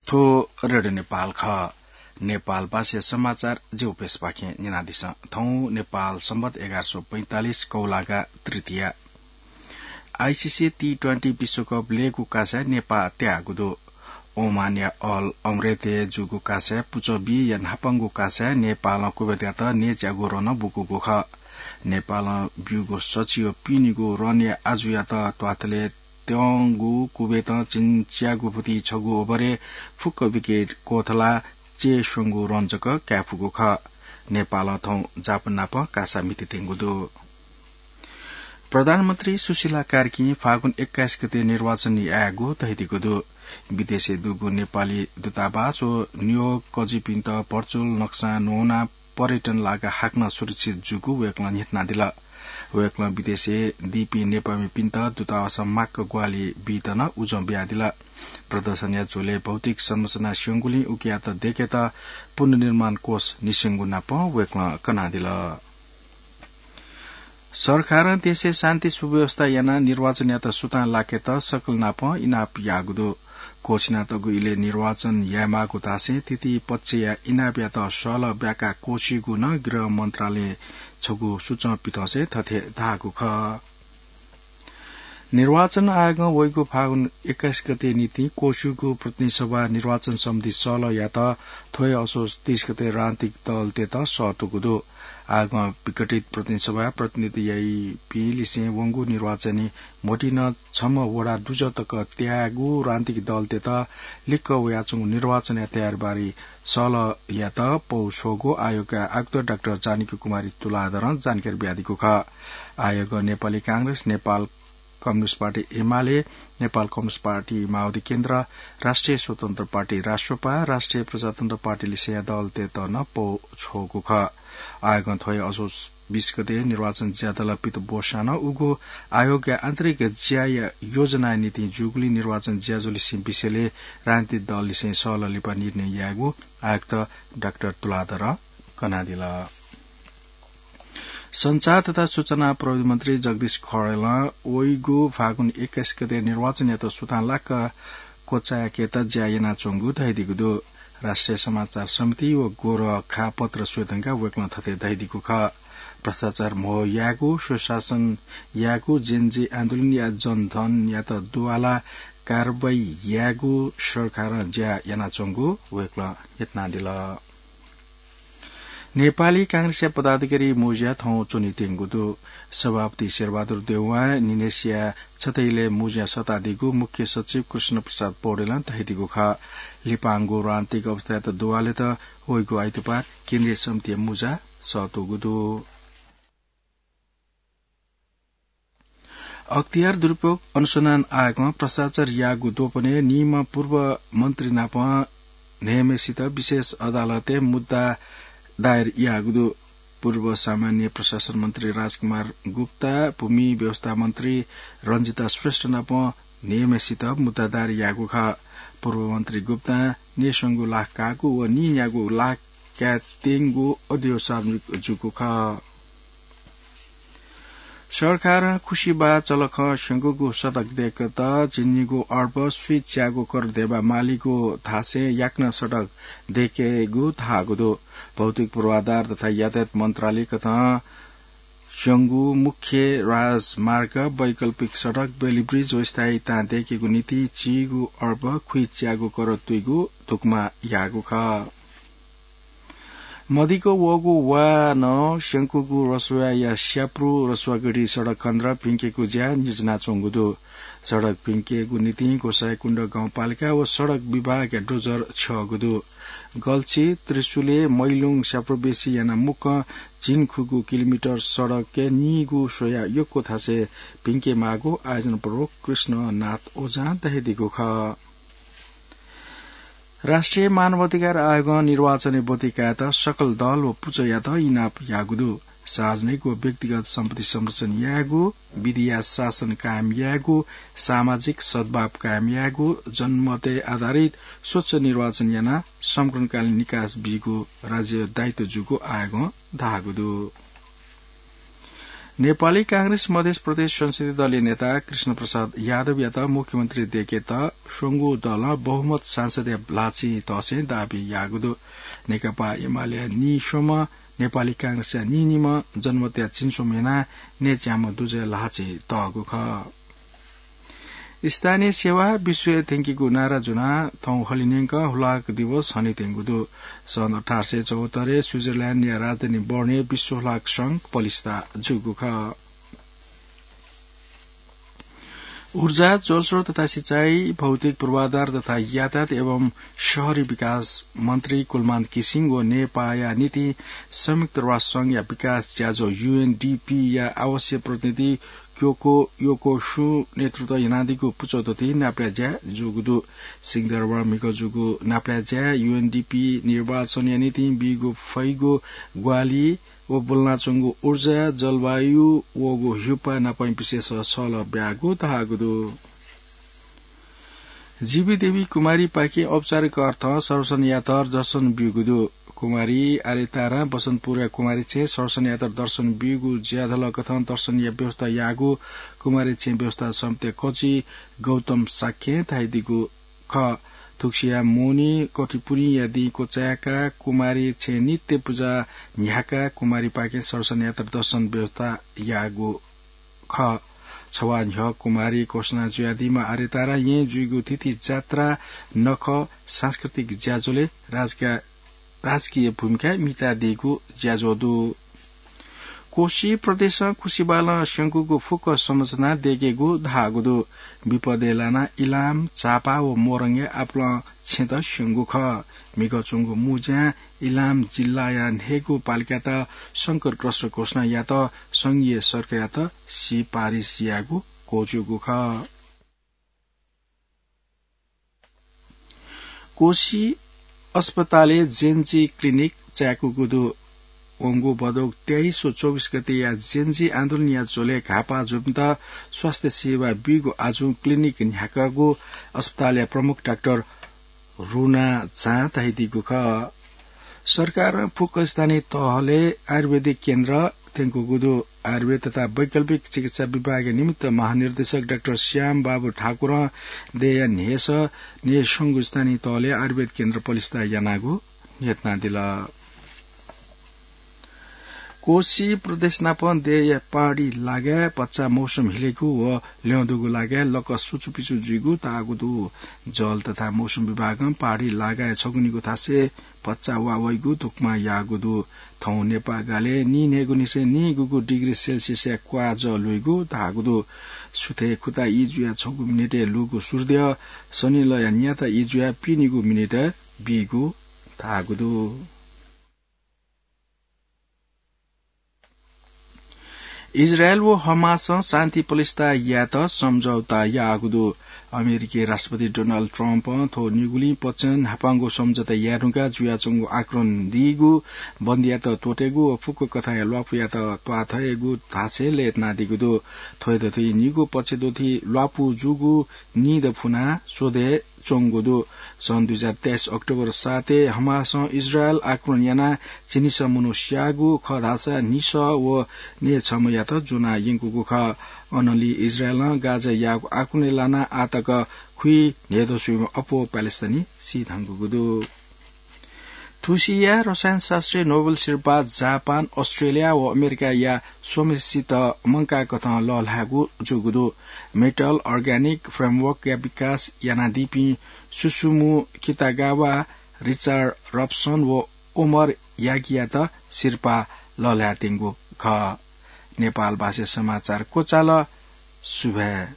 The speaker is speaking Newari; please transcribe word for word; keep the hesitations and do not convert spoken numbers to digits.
थ्व रेडियो नेपाल खः। नेपाल भाषाया समाचार ज्यू प्रेसपाखें न्यनादिसँ। थौं नेपाल संवत एघार सौ पैंतालिस कौलागा तृतीया। आईसीसी टी ट्वेन्टी विश्वकप लय्‌गू कासाय् नेपाः त्याःगु दु। ओमानया अल अमरेतय् जूगु कासाय् पुचः बीया न्हापांगु कासाय् नेपालं कुवेतयात न्यय्‌च्यागू रनं बुकूगु खः। नेपालं ब्यूगु सछि व पिनिगू रनया आजुयात त्वाथलय् त्यंगु कुवेतं झिंच्यागू फुति छगू ओभरय् फुक्क विकेट क्वथलाः चय्‌स्वंगू रन जक कायेफुगु खः। नेपालं थौं जापान नाप कासा म्हितेत्यंगु दु। प्रधानमन्त्री सुशीला कार्कीं फागुन एक्काइस गते निर्वाचन यायेगु धयादीगु दु। विदेशय् दुगु नेपाली दूतावास व नियोगकर्जीपिन्त भर्चुअल नक्सां न्वना पर्यटन लागा हाकनं सुरक्षित जूगु वय्‌कलं न्ह्यथनादिल। वय्‌कलं विदेशय् दीपिं नेपाःमिपिन्त दूतावासं माक्क ग्वाहालि बीत नं उजं बियादिल। प्रदर्शनया झ्वलय् भौतिक संरचना स्यंगुलिं उकियात दय्‌केत पुनर्निर्माण कोष निस्यंगु नाप वय्‌कलं कनादिल। सरकारं देशय् शान्ति सुव्यवस्था यानाः निर्वाचनयात सुथां लाकेत सकल नाप इनाप याःगु दु। क्वःछिनातःगु इलय् निर्वाचन यायेमाःगु धासें तृतीय पक्षया इनापयात सहलह ब्याकाः क्वःछिइगु नं गृह मन्त्रालयं छगू सूचं पिथंसे थथे धाःगु खः। निर्वाचन आयोगं वइगु फागुन एक्काइस गते निंतिं क्वःछिइगु प्रतिनिधि सभा निर्वाचन सम्बन्धी सहलहयात थ्व हे असोज तीस गते राजनीतिक दलतय्‌त सःतूगु दु। आयोगं विघटित प्रतिनिधि सभाय् प्रतिनिधित्व याइपिं लिसें वंगु निर्वाचनी म्होतिं नं छम्ह वडा दुजः तक त्याःगु राजनीतिक दलतय्‌त लिक्क वयाच्वंगु निर्वाचनया तयारीबारे सहलहयात पौ छ्वःगु आयोगया आयुक्त डाक्टर जानकी कुमारी तुलाधरं जानकारी बियादीगु खः। आयोगं Nepali Congress, Nepal communist party UML, Nepal communist party माओवादी केन्द्र, राष्ट्रिय स्वतन्त्र पार्टी राष्ट्रपा, राष्ट्रिय प्रजातन्त्र पार्टी लिसेंया दलतय्‌त नं पौ छ्वःगु खः। आयोगं थ्व हे असोज बीस गते निर्वाचन ज्याझ्वलय् पित ब्वःसां नं उगु आयोगया आन्तरिक ज्याया योजनाया निंतिं जूगुलिं निर्वाचन ज्याझ्वलय् सिं विषयलय् राजनीतिक दल लिसें सहलह लिपा निर्णय यायेगु आयुक्त डाक्टर तुलाधरं कनादिल। सञ्चार तथा सूचना प्रविधि मन्त्री जगदीश खरेलं वइगु फागुन एक्काइस गते निर्वाचनयात सुथां लाक्क क्वचाय्‌केत ज्या यानाच्वंगु धयादीगु दु। राष्ट्रिय समाचार समिति व गोरखा पत्र स्वये धुंकाः वय्‌कलं थथे धयादीगु खः। भ्रष्टाचार म्हो यायेगु, सुशासन यायेगु, जेनजी आन्दोलनया जनधनयात दुवाला कारवाही यायेगु सरकारं ज्या यानाच्वंगु वय्‌कलं न्ह्यथनादिल। नेपाली कांग्रेसया पदाधिकारी मुँज्या थौं च्वनेत्यंगु दु। सभापति शेरबहादुर देउवां निनेसिया छतैले मुँज्या सःतादीगु मुख्य सचिव कृष्ण प्रसाद पौडेलं धयादीगु खः। लिपांगु राजनीतिक अवस्थायात दुवालेत वइगु आइतबार केन्द्रीय समितिया मुँज्या सःतूगु दु। अख्तियार दुरुपयोग अनुसन्धान आयोगं भ्रष्टाचार याःगु द्वपनय् निम्ह पूर्व मन्त्री नाप न्हय्‌म्हेसित विशेष अदालतय् मुद्दा दायर याःगु दु। पूर्व सामान्य प्रशासन मन्त्री राजकुमार गुप्ता, भूमि व्यवस्था मन्त्री रञ्जिता श्रेष्ठ नाप न्हय्‌म्हेसित मुद्दा दायर याःगु खः। पूर्व मन्त्री गुप्तां न्हय्‌स्वंगू लाख काःगु व नीन्यागू लाख कायेत्यंगु अडियो सार्वजनिक जूगु खः। सरकारं खुसिबाः चलखं स्यंकूगु सडक दय्‌केत झिंनिगू अर्ब स्वीच्यागू करोड धेबा मालीगु धासें याकनं सडक दय्‌केगु धाःगु दु। भौतिक पूर्वाधार तथा यातायात मन्त्रालय कथं स्यंगू मुख्य राजमार्ग, वैकल्पिक सडक, बेली ब्रिज व स्थायी ताँ दय्‌केगु निंतिं चीगू अर्ब खुइच्यागू करोड तुइगु धुकुमा याःगु खः। मदिक्क वःगु वा नं स्यंकूगु रसुवाया स्याप्रु रसुवागढी सडक खनेदः भिंकेगु ज्या नियोजनाच्वंगु दु। सडक भिंकेगु निंतिं गोसाइँकुण्ड गाउँपालिका व सडक विभागया डोजर छ्यःगु दु। गल्छी, त्रिशुले, मैलुङ स्याप्रुबेसी यानाः मुक्कं झिंखुगू किलोमिटर सडकय् नीगू स्वयाः यक्व थासय् भिंकेमाःगु आयोजना प्रमुख कृष्णनाथ ओझां धयादीगु खः। राष्ट्रिय मानवाधिकार आयोगं निर्वाचनय् ब्वति कायेत सकल दल व पुचःयात इनाप याःगु दु। सार्वजनिक व व्यक्तिगत सम्पत्ति संरक्षण यायेगु, विधिया शासन कायम यायेगु, सामाजिक सद्भाव कायम यायेगु, जनमतय् आधारित स्वच्छ निर्वाचन यानाः संकटकालीन निकास बीगु राज्यया दायित्व जूगु आयोगं धाःगु दु। नेपाली कांग्रेस मधेस प्रदेश संसदीय दलया नेता कृष्ण प्रसाद यादवयात मुख्यमन्त्री दय्‌केत स्वंगू दलं बहुमत सांसदया ल्हाःचिं तःसें दाबी याःगु दु। नेकपा एमालेया नीस्वम्ह, नेपाली कांग्रेसया नीनिम्ह, जनमतया झिंस्वम्ह यानाः नयेच्याम्ह दुजय् ल्हाःचिं तःगु खः। स्थानीय सेवा विश्वय् थ्यंकीगु नारा ज्वनाः थौं हलिंन्यंक हुलाक दिवस हनेत्यंगु दु। सन् अठार सय चौहत्तरय् स्विजरल्याण्डया राजधानी बर्नय् विश्व हुलाक संघ पलिस्था जूगु खः। ऊर्जा, जलस्रोत तथा सिँचाइ, भौतिक पूर्वाधार तथा यातायात एवं शहरी विकास मन्त्री कुलमान घिसिङ व नेपाःया निंतिं संयुक्त राष्ट्र संघया विकास ज्याझ्वः, यूएनडीपीया आवासीय प्रतिनिधि क्योको योकोसुं नेतृत्व यानादीगु पुचःदथुइ नापलाये ज्या जूगु दु। सिंहदरबार म्हिगः जूगु नापलाये ज्याय् यूएनडीपी निर्वाचनया निंतिं बीगु फइगु ग्वाहालि व ब्वलनाच्वंगु ऊर्जा, जलवायु, वःगु ह्युपा नापं विशेष सहलह ब्याःगु धाःगु दु। जीवी देवी कुमारीपाखें औपचारिक अर्थं सर्वसन यातर दर्शन ब्यूगु दु। कुमारी आर्यतारां बसन्तपुरया कुमारी छेँय् सर्वसन यातर दर्शन ब्यूगु ज्याझ्वलय्‌कथं दर्शन यायेगु व्यवस्था याःगु कुमारी छेँ व्यवस्था समितिया कजि गौतम शाक्यं धाइदीगु खः। थुगुसिया मोहनी कठिपुनिया दिं क्वचाय्‌काः कुमारी छेँ नित्य पुजा न्ह्याकाः कुमारीपाखें सर्वसन यातर दर्शन व्यवस्था याःगु खः। छवाः न्ह्यः कुमारी घोषणा जुयादीम्ह आर्यतारा येँय् जुइगु थीथी जात्रा, नखः, सांस्कृतिक ज्याझ्वलय् राजकीय भूमिका म्हितादीगु ज्याझ्वः दु। कोशी प्रदेशं खुसिबालं स्यंकूगु फुक्क संरचना दयेकेगु धाःगु दु। विपदय् लानाः इलाम, झापा व मोरङया आपालं छेँत स्यंगु खः। म्हिगः च्वंगु मुँज्यां इलाम जिल्लाया न्हय्‌गू पालिकात संकटग्रस्त घोषणा यात संघीय सरकारयात सिफारिस यायेगु क्वःछिउगु खः। कोशी अस्पतालय् जेन्जी क्लिनिक चाय्‌कूगु दु। वंगु भदौ तेइस व चौबिस गतेया जेन्जी आन्दोलनया झ्वलय् घाःपाः जूपिन्त स्वास्थ्य सेवा बीगु आजुं क्लिनिक न्ह्याकागु अस्पतालया प्रमुख डाक्टर रुना झां धाइदीगु खः। सरकारं फुक्क स्थानीय तहलय् आयुर्वेदिक केन्द्र थ्यंकूगु दु। आयुर्वेद तथा वैकल्पिक चिकित्सा विभागया निमित्त महानिर्देशक डाक्टर श्याम बाबु ठाकुरं देय्‌या न्हय्‌सः न्हय्‌स्वंगू स्थानीय तहलय् आयुर्वेद केन्द्र पलिस्था यानागु न्ह्यथनादिल। कोशी प्रदेश नाप देय्‌या पहाडी लागाय् भचा मौसम हिलेगु व ल्यं दुगु लागाय् लकः सुचुपिचु जुइगु धाःगु दु। जल तथा मौसम विभागं पहाडी लागाय् छगू निगू थासय् भचा वा वइगु धुकमा याःगु दु। थौं नेपाः गालय् नीन्हय्‌गुनिसें नीगुगु डिग्री सेल्सियसया क्वाः जः लुइगु धाःगु दु। सुथय् खुता ई जुयाः छगू मिनेटय् लूगु सूर्यद्यः सनिलया न्याता ई जुयाः पिनिगू मिनेटय् बीगु धाःगु दु। इजरायल व हमासं शान्ति पलिस्था यायेत सम्झौता याःगु दु। अमेरिकी राष्ट्रपति डोनाल्ड ट्रम्पं थ्व निगुलिं पक्षं न्हापांगु सम्झौता याये धुंकाः जुयाच्वंगु आक्रमण दीगु, बन्दीयात त्वःतेगु व फुक्क कथंया ल्वापुयात त्वाथयेगु धासें लय्तानादीगु दु। थ्व दथुइ निगू पक्षदथुइ ल्वापु जूगु निदँ फुनाः स्वदे च्वंगु दु। सन् दुई हजार तेइस अक्टोबर सातय् हमासं इजरायल आक्रमण यानाः झिंनिसः मनू स्याःगु खः धाःसा न्हिसः व नयेछम्हयात ज्वना यंकूगु खः। अनंलि इजरायलं गाजाय् याःगु आक्रमणय् लानाः आः तक खुइन्हय्दँ स्वइम्ह अप्वः प्यालेस्टाइनी सी धुंकूगु दु। थुसिया रसायनशास्त्रय् नोबेल सिरपाः जापान, अस्ट्रेलिया व अमेरिकाया स्वम्हेसित मंकाःकथं लःल्हायेगु जूगु दु। मेटल अर्ग्यानिक फ्रेमवर्कया विकास यानादीपिं सुसुमु कितागावा, रिचार्ड रबसन व ओमर यागीयात सिरपाः लःल्हायेत्यंगु खः। नेपाल भाषाय् समाचार क्वचाल। सुभाय्।